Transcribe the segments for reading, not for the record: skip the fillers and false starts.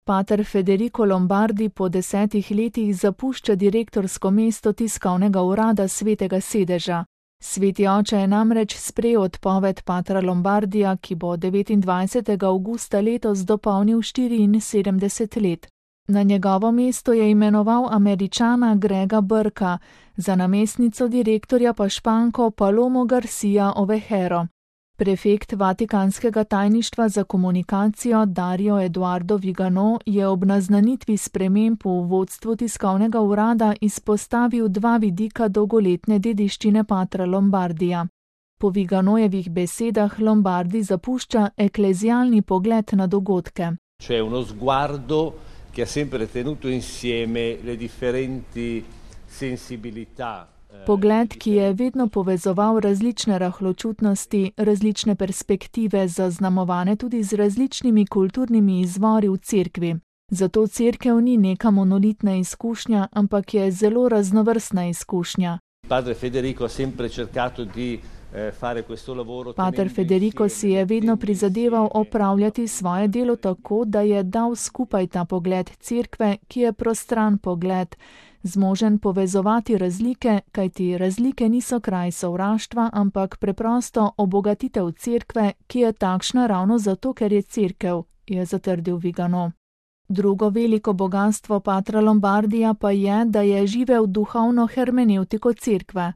Pater Federico Lombardi po 10 letih zapušča direktorsko mesto tiskovnega urada Svetega sedeža. Sveti oče je namreč sprejel odpoved patra Lombardija, ki bo 29. avgusta letos dopolnil 74 let. Na njegovo mesto je imenoval Američana Grega Burka, za namestnico direktorja pa Španko Palomo Garcia Ovejero. Prefekt Vatikanskega tajništva za komunikacijo Dario Eduardo Vigano je ob naznanitvi sprememb v vodstvu tiskovnega urada izpostavil dva vidika dolgoletne dediščine patra Lombardija. Po Viganojevih besedah Lombardi zapušča eklezialni pogled na dogodke. C'è uno sguardo che ha sempre tenuto insieme le differenti sensibilità. Pogled, ki je vedno povezoval različne rahločutnosti, različne perspektive, zaznamovane tudi z različnimi kulturnimi izvori v cerkvi. Zato cerkev ni neka monolitna izkušnja, ampak je zelo raznovrstna izkušnja. Pater Federico ha sempre cercato di fare questo lavoro. Pater Federico si je vedno prizadeval opravljati svoje delo tako, da je dal skupaj ta pogled cerkve, ki je prostran pogled, zmožen povezovati razlike, kajti razlike niso kraj sovraštva, ampak preprosto obogatitev cerkve, ki je takšna ravno zato, ker je cerkev, je zatrdil Vigano. Drugo veliko bogastvo patra Lombardija pa je, da je živel duhovno hermenevtiko cerkve.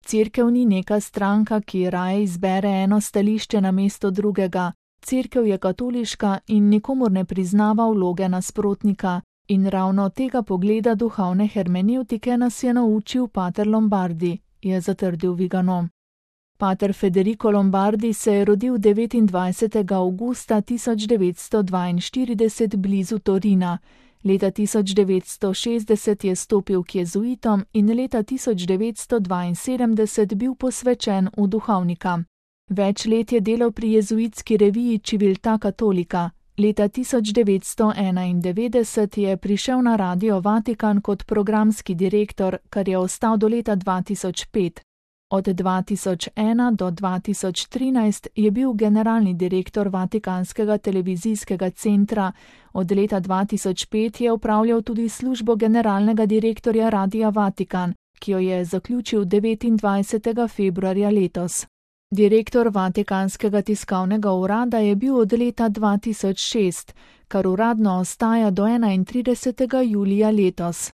Cerkev ni neka stranka, ki raje izbere eno stališče namesto drugega. Cerkev je katoliška in nikomur ne priznava vloge nasprotnika. In ravno tega pogleda duhovne hermenevtike nas je naučil pater Lombardi, je zatrdil Vigano. Pater Federico Lombardi se je rodil 29. avgusta 1942 blizu Torina. Leta 1960 je stopil k jezuitom in leta 1972 bil posvečen v duhovnika. Več let je delal pri jezuitski reviji Civiltà Cattolica. Leta 1991 je prišel na Radio Vatikan kot programski direktor, kar je ostal do leta 2005. Od 2001 do 2013 je bil generalni direktor Vatikanskega televizijskega centra, od leta 2005 je opravljal tudi službo generalnega direktorja Radia Vatikan, ki jo je zaključil 29. februarja letos. Direktor Vatikanskega tiskovnega urada je bil od leta 2006, kar uradno ostaja do 31. julija letos.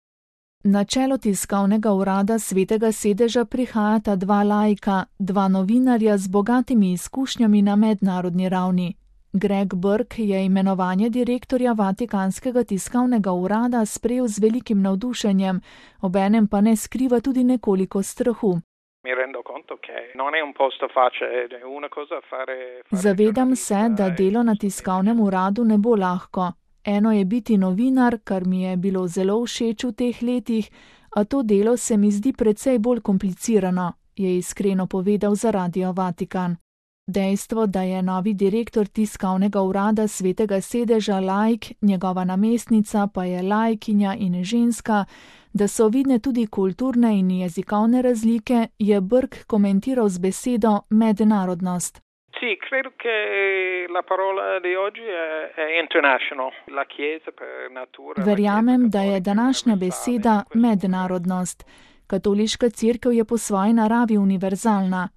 Na čelo tiskovnega urada Svetega sedeža prihajata dva laika, dva novinarja z bogatimi izkušnjami na mednarodni ravni. Greg Burke je imenovanje direktorja Vatikanskega tiskovnega urada sprejel z velikim navdušenjem, obenem pa ne skriva tudi nekoliko strahu. Zavedam se, da delo na tiskovnem uradu ne bo lahko. Eno je biti novinar, kar mi je bilo zelo všeč v teh letih, a to delo se mi zdi precej bolj komplicirano, je iskreno povedal za Radio Vatikan. Dejstvo, da je novi direktor tiskovnega urada Svetega sedeža laik, njegova namestnica pa je laikinja in ženska, da so vidne tudi kulturne in jezikovne razlike, je Burke komentiral z besedo mednarodnost. Sì, credo che la parola di oggi è international. La Chiesa per natura. Verjamem, da je današnja beseda mednarodnost. Katoliška cerkev je po svoji naravi univerzalna.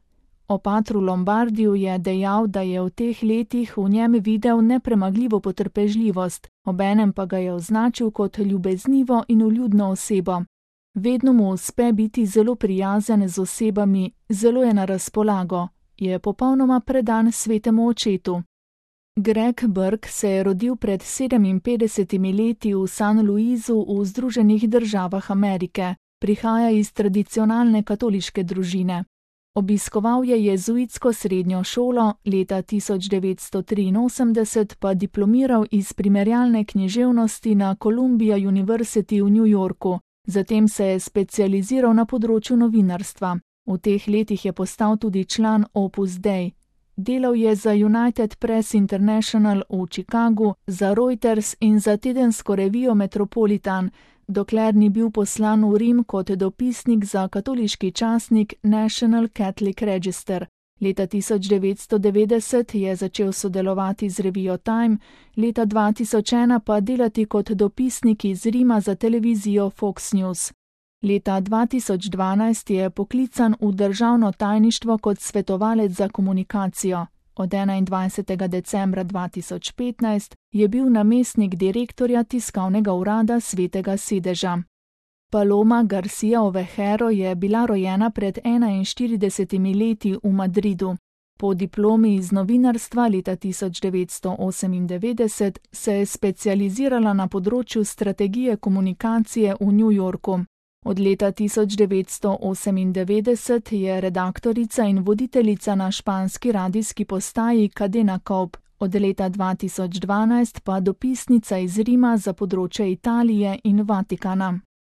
O patru Lombardiju je dejal, da je v teh letih v njem videl nepremagljivo potrpežljivost, obenem pa ga je označil kot ljubeznivo in vljudno osebo. Vedno mu uspe biti zelo prijazen z osebami, zelo je na razpolago. Je popolnoma predan svetemu očetu. Greg Burke se je rodil pred 57 leti v San Luisu v Združenih državah Amerike. Prihaja iz tradicionalne katoliške družine. Obiskoval je jezuitsko srednjo šolo, leta 1983 pa diplomiral iz primerjalne književnosti na Columbia University v New Yorku. Zatem se je specializiral na področju novinarstva. V teh letih je postal tudi član Opus Dei. Delal je za United Press International v Chicagu, za Reuters in za tedensko revijo Metropolitan, dokler ni bil poslan v Rim kot dopisnik za katoliški časnik National Catholic Register. Leta 1990 je začel sodelovati z revijo Time, leta 2001 pa delati kot dopisnik iz Rima za televizijo Fox News. Leta 2012 je poklican v državno tajništvo kot svetovalec za komunikacijo. Od 21. decembra 2015 je bil namestnik direktorja tiskovnega urada Svetega sedeža. Paloma Garcia Ovejero je bila rojena pred 41 leti v Madridu. Po diplomi iz novinarstva leta 1998 se je specializirala na področju strategije komunikacije v New Yorku. Od leta 1998 je redaktorica in voditeljica na španski radijski postaji Cadena Cope, od leta 2012 pa dopisnica iz Rima za področje Italije in Vatikana.